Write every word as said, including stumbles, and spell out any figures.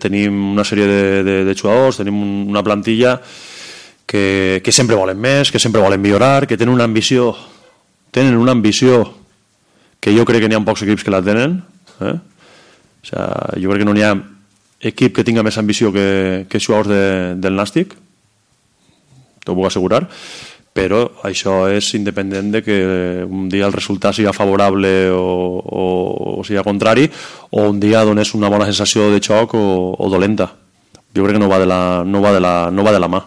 Tenim una sèrie de, de, de jugadors, tenim una plantilla que, que sempre volen més, que sempre volen millorar, que tenen una ambició, tenen una ambició que jo crec que n'hi ha pocs equips que la tenen. Eh? O sea, jo crec que no n'hi ha equip que tinga més ambició que, que jugadors de, del Nàstic, t'ho puc assegurar, però això és independent de que un dia el resultat sigui favorable o, o, o sigui contrari, o un dia donés una bona sensació de xoc o, o dolenta. Jo crec que no va de la, no va de la, no va de la mà.